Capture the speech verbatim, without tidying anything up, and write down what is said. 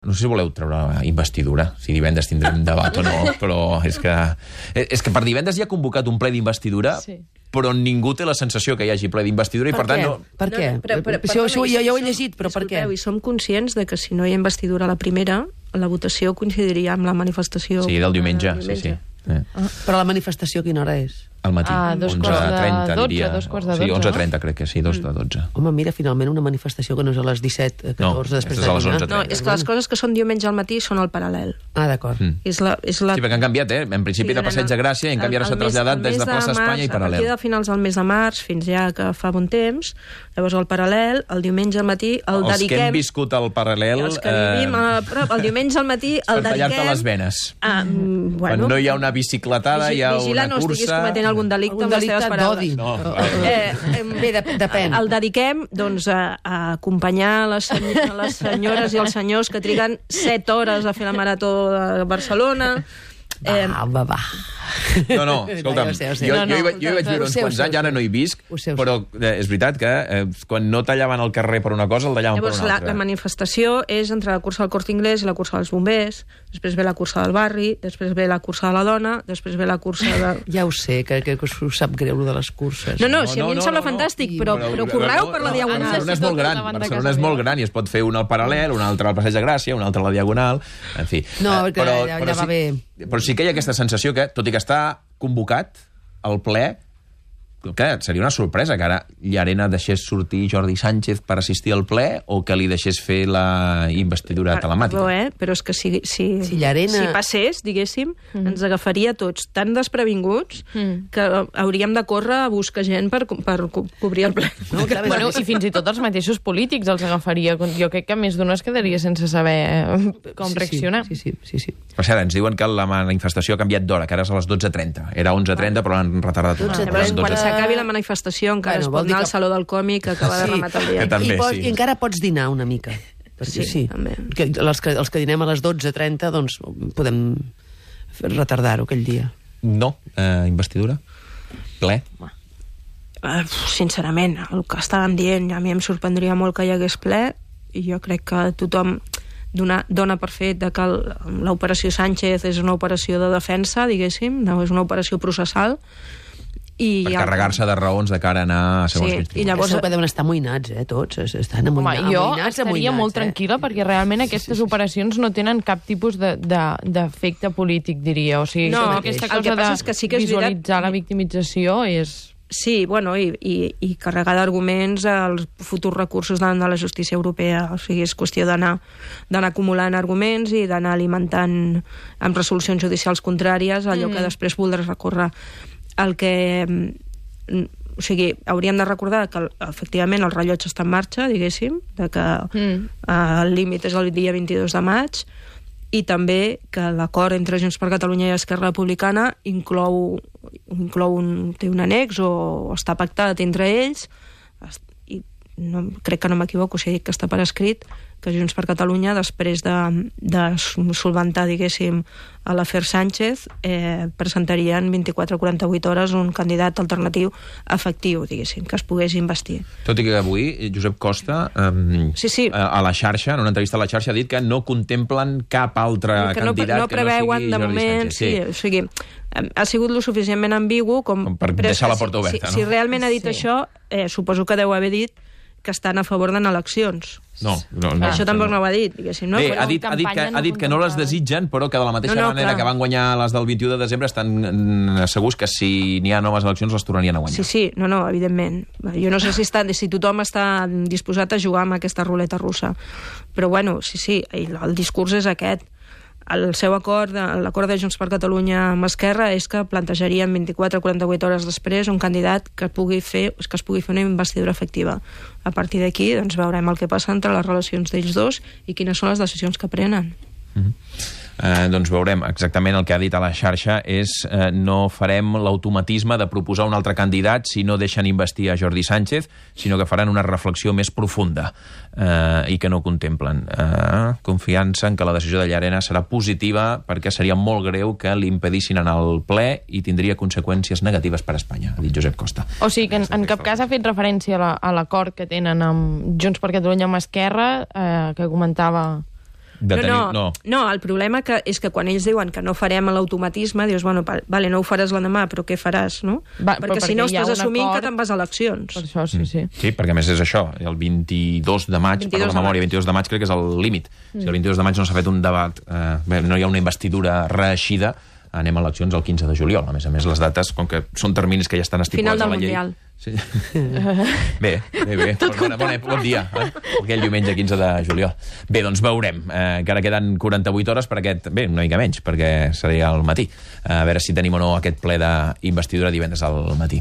No sé si voleu treure investidura, si divendres tindrem debat o no, però és que, és que per divendres hi ha convocat un ple d'investidura, sí. Però ningú té la sensació que hi hagi ple d'investidura i per, per tant... No... Per què? No, però, però, per, això, això, jo ja ho he llegit, però per què? I som conscients de que si no hi ha investidura a la primera, la votació coincidiria amb la manifestació... Sí, del diumenge, sí, sí. Eh. Ah, però la manifestació a quina hora és? Al matí, ah, dos onze trenta, dotze, diria. Dos quarts de dotze, sí, onze trenta no? crec que sí, dos de dotze. Home, mira, finalment una manifestació que no és a les disset, catorze, no, després de dinar. No, és que les coses que són diumenge al matí són al paral·lel. Ah, d'acord. Mm. És la, és la... Sí, perquè han canviat, eh? En principi sí, de Passeig de Gràcia i en canvi ara s'ha traslladat des de Plaça Espanya i Paral·lel. A partir de finals del mes de març, fins ja que fa bon temps, llavors el Paral·lel, el diumenge al matí, el els dediquem... Els que hem viscut al Paral·lel... Els que vivim a prop, el diumenge al matí, el dediquem... Per tallar-te les venes. Ah, bueno, quan no hi ha una bicicletada, hi ha vigila, una no cursa... estiguis cometent algun delicte amb les teves paraules. No, eh, Bé, depèn. El dediquem doncs, a, a acompanyar les, senyor, les senyores i els senyors que triguen set hores a fer la marató de Barcelona. Eh, va, va, va. No, no, escolta'm, no, jo, sé, jo, no, no, jo, hi, jo hi vaig viure uns quants anys, ara no hi visc, sé, però eh, és veritat que eh, quan no tallaven el carrer per una cosa, el tallaven Llavors, per una la, altra. La manifestació és entre la cursa del Corte Inglés i la cursa dels bombers, després ve la cursa del barri, després ve la cursa de la dona, després ve la cursa de... Ja ho sé, que, que us sap greu, de les curses. No, no, si a mi no, em sembla no, fantàstic, no, però, però, però correu no, per la no, Diagonal. Barcelona és molt gran, Barcelona és molt gran i es pot fer una al Paral·lel, una altra al Passeig de Gràcia, una altra a la Diagonal, en fi. No, eh, que però, ja, però ja va sí, bé. Però sí que hi ha aquesta sensació que, tot i que està convocat al ple, que seria una sorpresa que ara Llarena deixés sortir Jordi Sánchez per assistir al ple o que li deixés fer la investidura telemàtica. Però, eh? però és que si, si, si, Llarena... si passés, diguéssim, mm. ens agafaria tots tan desprevinguts mm. que hauríem de córrer a buscar gent per, per co cobrir el ple. No, clar, bueno, i fins i tot els mateixos polítics els agafaria. Jo crec que més d'un es quedaria sense saber com sí, reaccionar. Sí, sí, sí, sí. Per cert, ens diuen que la manifestació ha canviat d'hora, que ara és a les dotze trenta. Era onze trenta, però l'han retardat. dotze trenta. Quan s'acabi la manifestació encara bueno, es pot anar que... al Saló del Còmic que acaba sí, de rematar el dia. També, I, pots, sí. I encara pots dinar una mica. Perquè sí, sí. també. Que els, que, els que dinem a les dotze trenta, doncs podem retardar-ho aquell dia. No, eh, investidura. Ple. Uh, sincerament, el que estàvem dient, a mi em sorprendria molt que hi hagués ple, i jo crec que tothom dona, dona per fet de que l'operació Sánchez és una operació de defensa, diguéssim, no és una operació processal, i per carregar-se de raons de cara a anar a segons sí, quins tribunals. I llavors que deuen estar amoïnats, eh, tots. Estan amoïnats, Home, jo amoïnats, estaria amoïnats, molt eh? tranquil·la perquè realment aquestes sí, sí, sí. operacions no tenen cap tipus d'efecte polític, diria. O sigui, no, aquesta el cosa que passa de és que sí que és visualitzar veritat... la victimització és... Sí, bueno, i, i, i carregar d'arguments als futurs recursos davant de la justícia europea. O sigui, és qüestió d'anar d'anar acumulant arguments i d'anar alimentant amb resolucions judicials contràries allò mm. que després voldràs recórrer. El que... O sigui, hauríem de recordar que efectivament el rellotge està en marxa, diguéssim, de que mm. el límit és el dia vint-i-dos de maig, i també que l'acord entre Junts per Catalunya i Esquerra Republicana inclou, inclou un, té un annex o està pactat entre ells, i no, crec que no m'equivoco si dic que està per escrit, que Junts per Catalunya, després de, de solventar, diguéssim, a l'afer Sánchez, eh, presentarien vint-i-quatre a quaranta-vuit hores un candidat alternatiu efectiu, diguéssim, que es pogués investir. Tot i que avui Josep Costa, eh, sí, sí. a, a la xarxa, en una entrevista a la xarxa, ha dit que no contemplen cap altre que no, candidat no preveuen, que no sigui Jordi de moment, Sánchez. Sí. Sí, o sigui, ha sigut lo suficientment ambigu com, com per deixar la porta oberta. Si, no? si realment ha dit sí. això, eh, suposo que deu haver dit que estan a favor d'anar a eleccions. No, no, no. Això tampoc no. no ho ha dit, diguéssim. No? Bé, Però ha dit, ha dit, que, ha dit que no les desitgen, però que de la mateixa no, no, manera clar. que van guanyar les del vint-i-u de desembre estan segurs que si n'hi ha noves eleccions les tornarien a guanyar. Sí, sí, no, no, evidentment. Jo no sé si, està, si tothom està disposat a jugar amb aquesta ruleta russa, però bueno, sí, sí, el discurs és aquest. El seu acord, l'acord de Junts per Catalunya amb Esquerra és que plantejarien vint-i-quatre a quaranta-vuit hores després un candidat que pugui fer, que es pugui fer una investidura efectiva. A partir d'aquí, doncs, veurem el que passa entre les relacions d'ells dos i quines són les decisions que prenen. Mm-hmm. Eh, doncs veurem exactament el que ha dit a la xarxa és eh, no farem l'automatisme de proposar un altre candidat si no deixen investir a Jordi Sánchez, sinó que faran una reflexió més profunda eh, i que no contemplen. Eh, confiança en que la decisió de Llarena serà positiva perquè seria molt greu que l'impedissin anar al ple i tindria conseqüències negatives per a Espanya, ha dit Josep Costa. O sigui que en, en cap cas ha fet referència a l'acord la, que tenen amb Junts per Catalunya amb Esquerra, eh, que comentava De no, tenir... no, no. no, el problema que és que quan ells diuen que no farem l'automatisme, dius, bueno, vale, no ho faràs l'endemà, però què faràs, no? Va, perquè si perquè no hi ha estàs un assumint acord... que te'n vas a eleccions. Per això, sí, sí. Sí, perquè a més és això, el vint-i-dos de maig, per la memòria, vint-i-dos de maig crec que és el límit. Mm. Si el vint-i-dos de maig no s'ha fet un debat, eh, bé, no hi ha una investidura reeixida, anem a eleccions el quinze de juliol. A més a més, les dates, com que són terminis que ja estan estipulats a la llei... Final del Mundial. Sí. Bé, bé, bé. Bon, bon, bon dia, eh? Aquell diumenge quinze de juliol. Bé, doncs veurem. Eh, encara queden quaranta-vuit hores per aquest... Bé, una mica menys, perquè seria al matí. Eh, a veure si tenim o no aquest ple d'investidura divendres al matí.